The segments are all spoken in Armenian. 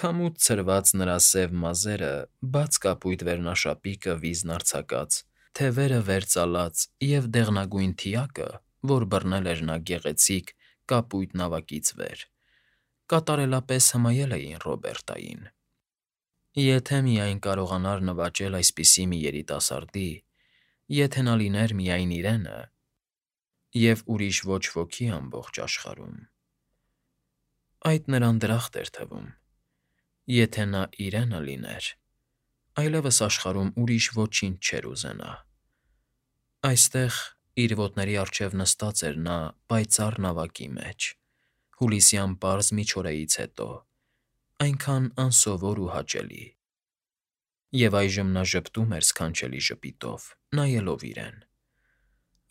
Քամուց ցրված նրա սև մազերը, բաց կապույտ վերնաշապիկը վիզն արձակած, թևերը վեր ծալած և դեղնագույն թիակը, որ բռնել էր նա գեղեցիկ, կապույտ նավակից վեր, կատարելապես հմայել էին Ռոբերտային. եթե միայն կարողանար նվաճել այսպիսի մի երիտասարդի, եթե նա լիներ միայն իրենը, և ուրիշ ոչ ոքի ամբողջ աշխարհում… Այդ նրան դրախտ էր թվում. եթե նա իրենը լիներ, այլևս աշխարհում ուրիշ ոչինչ չէր ուզենա… Այստեղ, իր ոտների առջև նստած էր նա պայծառ նավակի մեջ, հուլիսյան պարզ միջօրեից հետո, այնքան անսովոր ու հաճելի… Եվ այժմ նա ժպտում էր սքանչելի ժպիտով, նայելով իրեն…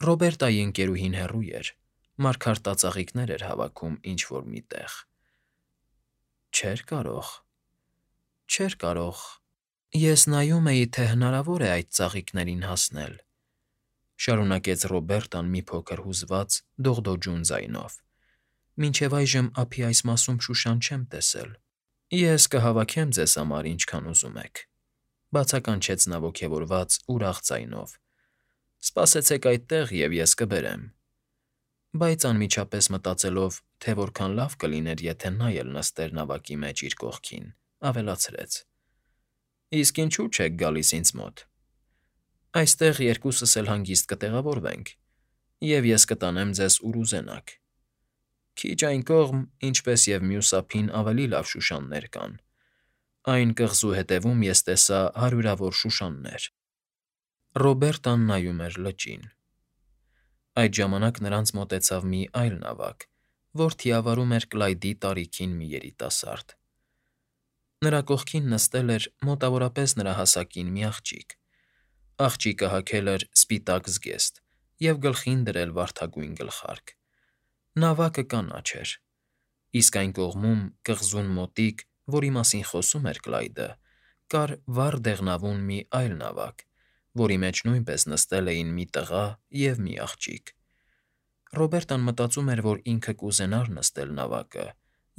Ռոբերտայի ընկերուհին հեռու էր, մարգարտածաղիկներ էր հավաքում ինչ֊որ մի տեղ… Չէր կարող… Ես նայում էի, թե հնարավոր է այդ ծաղիկներին հասնել, շարունակեց Ռոբերտան մի փոքր հուզված, դողդոջուն ձայնով, մինչև այժմ ափի այս մասում շուշան չեմ տեսել… Ես կհավաքեմ ձեզ համար, ինչքան ուզում եք, բացականչեց նա ոգևորված, ուրախ ձայնով, սպասեցեք այդտեղ, և ես կբերեմ… Բայց անմիջապես մտածելով, թե որքան լավ կլիներ, եթե նա էլ նստեր նավակի մեջ իր կողքին, ավելացրեց. Իսկ ինչո՞ւ չեք գալիս ինձ մոտ… Այստեղ երկուսս էլ հանգիստ կտեղավորվենք, և ես կտանեմ ձեզ ուր ուզենաք… Քիչ այն կողմ, ինչպես և մյուս ափին ավելի լավ շուշաններ կան, այն կղզու ետևում ես տեսա հարյուրավոր շուշաններ… Ռոբերտան նայում էր լճին… Այդ ժամանակ նրանց մոտեցավ մի այլ նավակ, որ թիավարում էր Կլայդի տարիքին մի երիտասարդ… Նրա կողքին նստել էր մոտավորապես նրա հասակին մի աղջիկ… Աղջիկը հագել էր սպիտակ զգեստ և գլխին դրել վարդագույն գլխարկ… Նավակը կանաչ էր, իսկ այն կողմում, կղզուն մոտիկ, որի մասին խոսում էր Կլայդը, կար վառ դեղնավուն մի այլ նավակ, որի մեջ նույնպես նստել էին մի տղա և մի աղջիկ… Ռոբերտան մտածում էր, որ ինքը կուզենար նստել նավակը,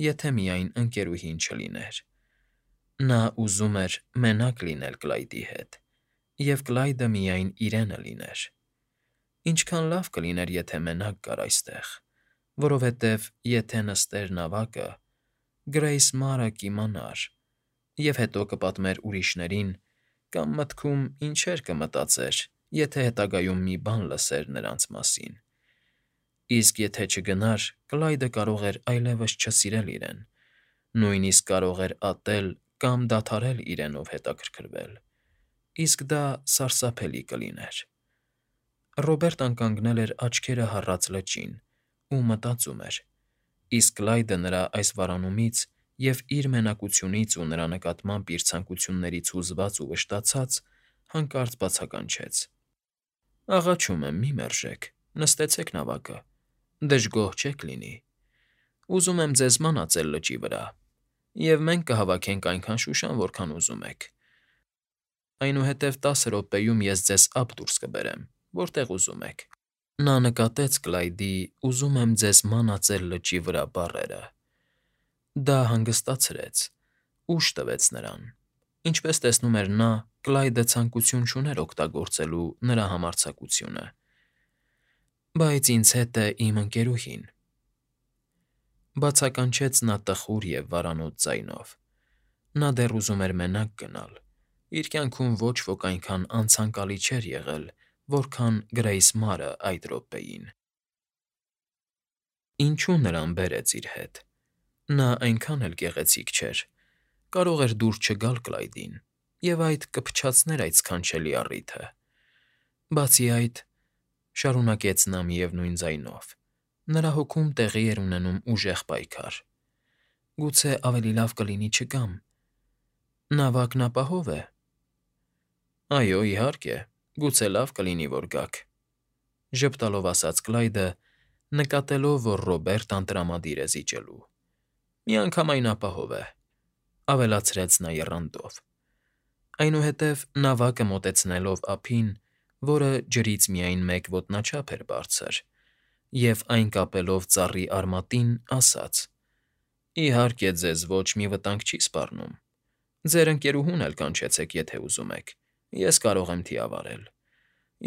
եթե միայն ընկերուհին չլիներ… Նա ուզում էր մենակ լինել Կլայդի հետ, և Կլայդը միայն իրենը լիներ… Ինչքան լավ կլիներ, եթե մենակ գար այստեղ, որովհետև եթե նստեր նավակը, Գրեյս Մարը կիմանար և հետո կպատմեր ուրիշներին կամ մտքում ինչեր կմտածեր, եթե հետագայում մի բան լսեր նրանց մասին… Իսկ եթե չգնար, Կլայդը կարող էր այլևս չսիրել իրեն, նույնիսկ կարող էր ատել կամ դադարել իրենով հետաքրքրվել, իսկ դա սարսափելի կլիներ… Ռոբերտան կանգնել էր աչքերը հառած լճին ու մտածում էր, իսկ Կլայդը նրա այս վարանումից և իր մենակությունից ու նրա նկատմամբ իր ցանկություններից հուզված ու վշտացած, հանկարծ բացականչեց. Աղաչում եմ, մի մերժեք, նստեցեք նավակը, դժգոհ չեք լինի… Ուզում եմ ձեզ մանածել լճի վրա, և մենք կհավաքենք այնքան շուշան, որքան ուզում եք… Այնուհետև 10 րոպեում ես ձեզ ափ դուրս կբերեմ, որտեղ ուզում եք… Նա նկատեց Կլայդի «ուզում եմ ձեզ մանածել լճի վրա» բառերը… Դա հանգստացրեց, ուժ տվեց նրան… Ինչպես տեսնում էր նա, Կլայդը ցանկություն չուներ օգտագործելու նրա համարձակությունը… Բայց ինձ հետ է իմ ընկերուհին… Բացականչեց նա տխուր և վարանոց ձայնով… Նա դեռ ուզում էր մենակ գնալ… Իր կյանքում ոչ ոք այնքան անցանկալի չէր եղել, որքան Գրեյս Մարը այդ րոպեին… Ինչո՞ւ նրան բերեց իր հետ… Նա այնքան էլ գեղեցիկ չէր… Կարող էր դուր չգալ Կլայդին, և այդ կփչացներ այդ սքանչելի առիթը… Բացի այդ, շարունակեց նա միևնույն ձայնով, նրա հոգում տեղի էր ունենում ուժեղ պայքար… Գուցե ավելի լավ կլինի չգամ… Նավակն ապահո՞վ է… Այո, իհարկե, գուցե լավ կլինի, որ գաք, ժպտալով ասաց Կլայդը, նկատելով, որ Ռոբերտան տրամադիր է զիջելու… Միանգամայն ապահով է, ավելացրեց նա եռանդով… Այնուհետև նավակը մոտեցնելով ափին, որը ջրից միայն մեկ ոտնաչափ էր բարձր, և այն կապելով ծառի արմատին, ասաց. Իհարկե, ձեզ ոչ մի վտանգ չի սպառնում։ Ձեր ընկերուհուն էլ կանչեցեք, եթե ուզում եք։ Ես կարող եմ թիավարել։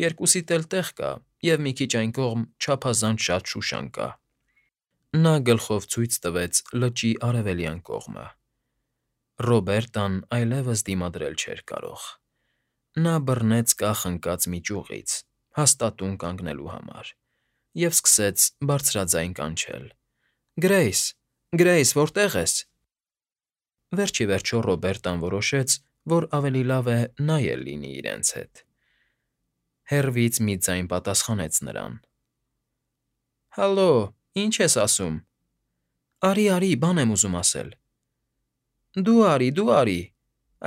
Երկուսիդ էլ տեղ կա, և մի քիչ այն կողմ չափազանց շատ շուշան կա։ Նա գլխով ցույց տվեց լճի արևելյան կողմը։ Ռոբերտան այլևս դիմադրել չէր կարող։ Նա բռնեց կախ ընկած մի ճյուղից, հաստատուն կանգնելու համար, և սկսեց բարձրաձայն կանչել. «Գրեյս, Գրեյս, որտե՞ղ ես»։ Վերջ ի վերջո Ռոբերտան որոշեց, որ ավելի լավ է նա էլ լինի իրենց հետ։ Հեռվից մի ձայն պատասխանեց նրան. «Հալո, ի՞նչ ես ասում»։ «Արի, բան եմ ուզում ասել»։ «Դու արի,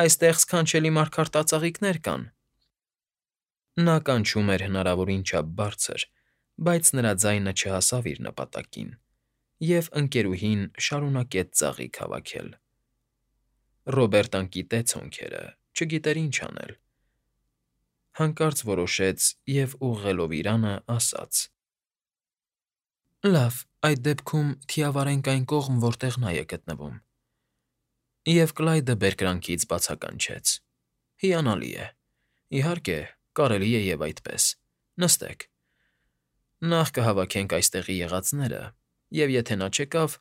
այստեղ սքանչելի մարգարտածաղիկներ կան»։ Նա կանչում էր հնարավորին չափ բարձր, բայց նրա ձայնը չհասավ իր նպատակին, և ընկերուհին շարունակեց ծաղիկ հավաքել։ Ռոբերտան կիտեց հոնքերը, չգիտեր ինչ անել։ Հանկարծ որոշեց և, ուղղելով իրանը, ասաց. «Լավ, այդ դեպքում թիավարենք այն կողմ, որտեղ նա է գտնվում»։ Եվ Կլայդը բերկրանքից բացականչեց. «Հիանալի է։ Իհարկե, կարելի է և այդպես։ Նստեք։ Նախ կհավաքենք այստեղի եղածները, և եթե նա չեկավ,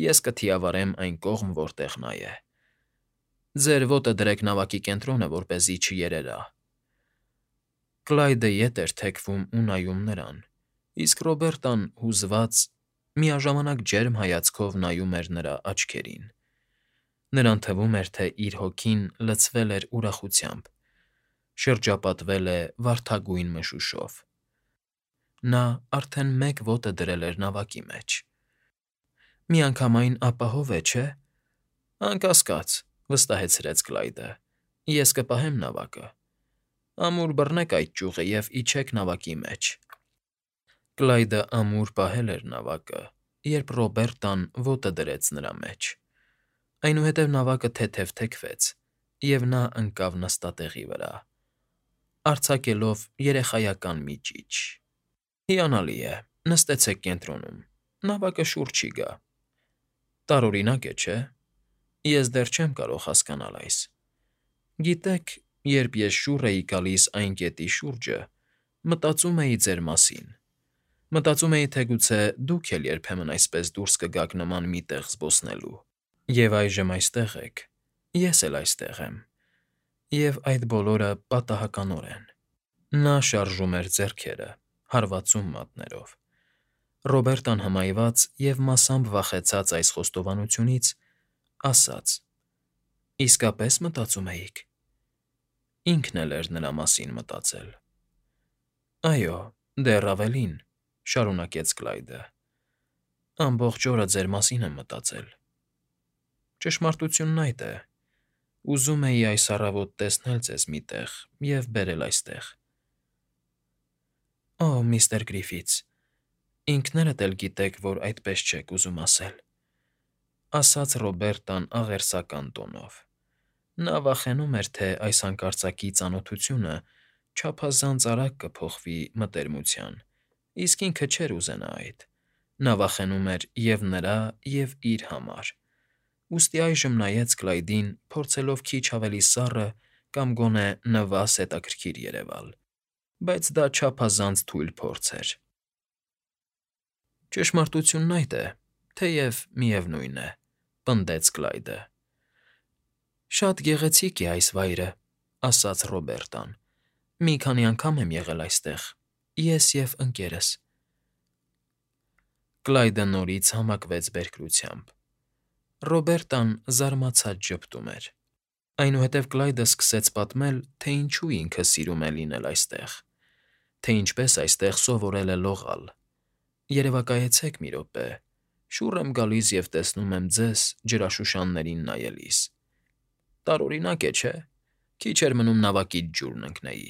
ես կթիավարեմ այն կողմ, որտեղ նա է։ Ձեր ոտը դրեք նավակի կենտրոնը, որպեսզի չերևա»։ Կլայդը ետ էր թեքվում ու նայում նրան, իսկ Ռոբերտան, հուզված, միաժամանակ ջերմ հայացքով նայում էր նրա աչքերին։ Նրան թվում էր, թե իր հոգին լցվել էր ուրախությամբ, շրջապատվել է վարդագույն մշուշով։ Նա արդեն մեկ ոտը դրել էր նավակի մեջ։ «Միանգամայն ապահով է, չէ՞»։ «Անկասկած», վստահեցրեց Կլայդը։ «Ես կպահեմ նավակը։ Ամուր բռնեք այդ ճյուղը և իջեք նավակի մեջ»։ Կլայդը ամուր պահել էր նավակը, երբ Ռոբերտան ոտը դրեց նրա մեջ։ Այնուհետև նավակը թեթև թեքվեց, և նա ընկավ նստատեղի վրա, արձակելով երեխայական մի ճիչ։ «Հիանալի է, նստեցեք կենտրոնում, նավակը շուռ չի գա։ Տարօրինակ է, չէ՞։ Ես դեռ չեմ կարող հասկանալ այս։ Գիտեք, երբ ես շուռ էի գալիս այն կետի շուրջը, մտածում էի ձեր մասին։ Մտածում էի, թե գուցե դուք էլ երբեմն այսպես դուրս կգաք նման մի տեղ զբոսնելու։ Եվ այժմ այստեղ եք, ես էլ այստեղ եմ, և այդ բոլորը պատահականորեն»։ Նա շարժում էր ձեռքերը, հարվածում մատներով։ Ռոբերտան հմայված և մասամբ վախեցած այս խոստովանությունից, ասաց. «Իսկապես մտածում էիք»։ Ինքն էլ էր նրա մասին մտածել։ «Այո, դեռ ավելին», շարունակեց Կլայդը։ «Ամբողջ օրը ձեր մասին եմ մտածել։ Ճշմարտությունն այդ է, ուզում էի այս առավոտ տեսնել ձեզ մի տեղ և բերել այստեղ»։ «Օ, միստր Գրիֆիթս, ինքներդ էլ գիտեք, որ այդպես չեք ուզում ասել», ասաց Ռոբերտան աղերսական տոնով։ Նա վախենում էր, թե այս հանկարծակի ծանոթությունը չափազանց արագ կփոխվի մտերմության, իսկ ինքը չէր ուզենա այդ։ Նա վախենում էր և նրա, և իր համար։ Ուստի այժմ նայեց Կլայդին, փորձելով քիչ ավելի սառը կամ գոնե նվազ հետաքրքիր երևալ, բայց դա չափազանց թույլ փորձ էր։ «Ճշմարտությունն այդ է, թեև միևնույն է», պնդեց Կլայդը։ «Շատ գեղեցիկ է այս վայրը», ասաց Ռոբերտան։ «Մի քանի անգամ եմ եղել այստեղ, ես և ընկերս»։ Կլայդը նորից համակվեց բերկրությամբ։ Ռոբերտան զարմացած ժպտում էր։ Այնուհետև Կլայդը սկսեց պատմել, թե ինչու ինքը սիրում է լինել այստեղ, թե ինչպես այստեղ սովորել է լողալ։ «Երևակայեցեք մի րոպե, շուռ եմ գալիս և տեսնում եմ ձեզ ջրաշուշաններին նայելիս։ Տարօրինակ է, չէ՞։ Քիչ էր մնում նավակից ջուրն ընկնեի։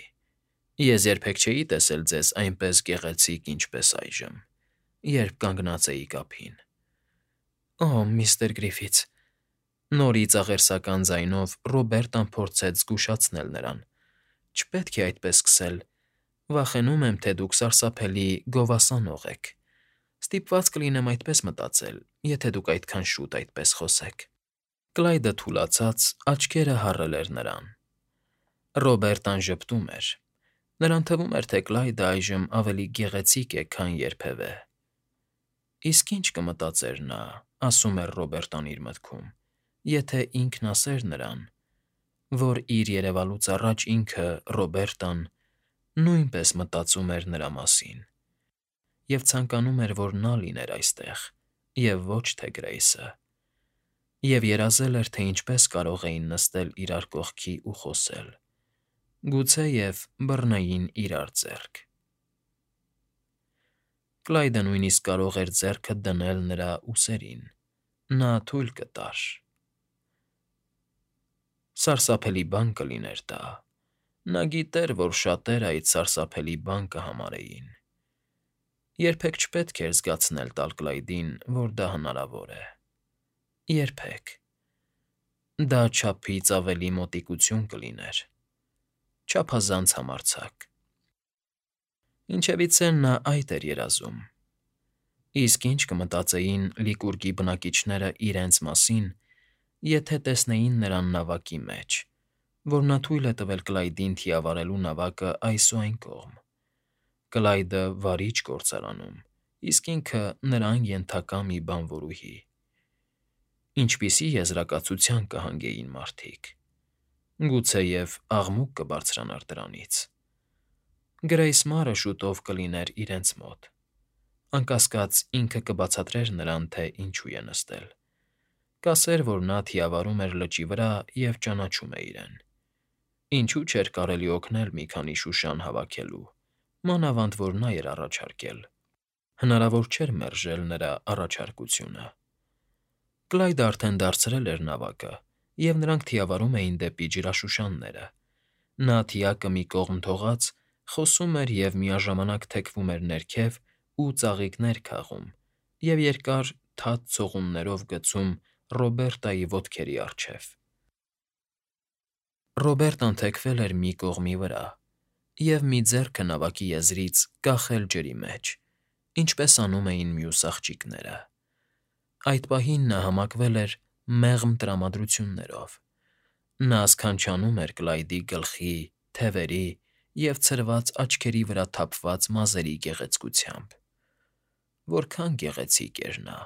Ես երբեք չէի տեսել ձեզ այնպես գեղեցիկ, ինչպես այժմ, երբ կանգնած էիք ափին»։ «Օ, միստր Գրիֆիթս»։ Նորից աղերսական ձայնով Ռոբերտան փորձեց զգուշացնել նրան։ «Չպետք է այդպես սկսել։ Վախենում եմ, թե դուք սարսափելի գովասանող եք։ Ստիպված կլինեմ այդպես մտածել, եթե դուք այդքան շուտ այդպես խոսեք։ Կլայդը թուլացած աչքերը հառել էր նրան։ Ռոբերտան ժպտում էր։ Նրան թվում էր, թե Կլայդը այժմ ավելի գեղեցիկ է, քան երբևէ։ Իսկ ինչ կմտածեր նա, ասում էր Ռոբերտան իր մտքում, եթե ինքն ասեր նրան, որ իր երևալուց առաջ ինքը, Ռոբերտան, նույնպես մտածում էր նրա մասին, և ցանկանում էր, որ նա լիներ այստեղ, և ոչ թե Գրեյսը, և երազել էր, թե ինչպես կարող էին նստել իրար կողքի ու խոսել, գուցեև բռնեին իրար ձեռք։ Կլայդը նույնիսկ կարող էր ձեռքը դնել նրա ուսերին, նա թույլ կտար։ Սարսափելի բան կլիներ դա։ Նա գիտեր, որ շատերը այդ սարսափելի բան կհամարեին։ Երբեք չպետք էր զգացնել տալ Կլայդին, որ դա հնարավոր է։ Երբեք։ Դա չափից ավելի մոտիկություն կլիներ, չափազանց համարձակ։ Ինչևիցե նա այդ էր երազում։ Իսկ ինչ կմտածեին Լիկուրգի բնակիչները իրենց մասին, եթե տեսնեին նրան նավակի մեջ, որ նա թույլ է տվել Կլայդին թիավարելու նավակը այս ու այն կողմ։ Կլայդը վարիչ գործարանում, իսկ ինքը նրան ենթակա մի բանվորուհի։ Ինչպիսի եզրակացության կհանգեին մարդիկ։ Գուցեև աղմուկ կբարձրանար դրանից։ Գրեյս Մարը շուտով կլիներ իրենց մոտ։ Անկասկած ինքը կբացատրեր նրան, թե ինչու է նստել։ Կասեր, որ նա թիավարում էր լճի վրա և ճանաչում է իրեն։ Ինչու չէր կարելի օգնել մի քանի շուշան հավաքելու, մանավանդ որ նա էր առաջարկել։ Հնարավոր չէր մերժել նրա առաջարկությունը։ Կլայդը արդեն դարձրել էր նավակը, և նրանք թիավարում էին դեպի ջրաշուշանները։ Նա թիակը մի կողմ թողած, խոսում էր և միաժամանակ թեքվում էր ներքև ու ծաղիկներ քաղում և երկար թաց ցողուններով գցում Ռոբերտայի ոտքերի առջև։ Ռոբերտան թեքվել էր մի կողմի վրա և մի ձեռքը նավակի եզրից կախել ջրի մեջ, ինչպես անում էին մյուս աղջիկները։ Այդ պահին նա համակվել էր մեղմ տրամադրություններով։ Նա սքանչանում էր Կլայդի գլխի, թևերի և ցրված աչքերի վրա թափված մազերի գեղեցկությամբ։ Որքան գեղեցիկ էր նա։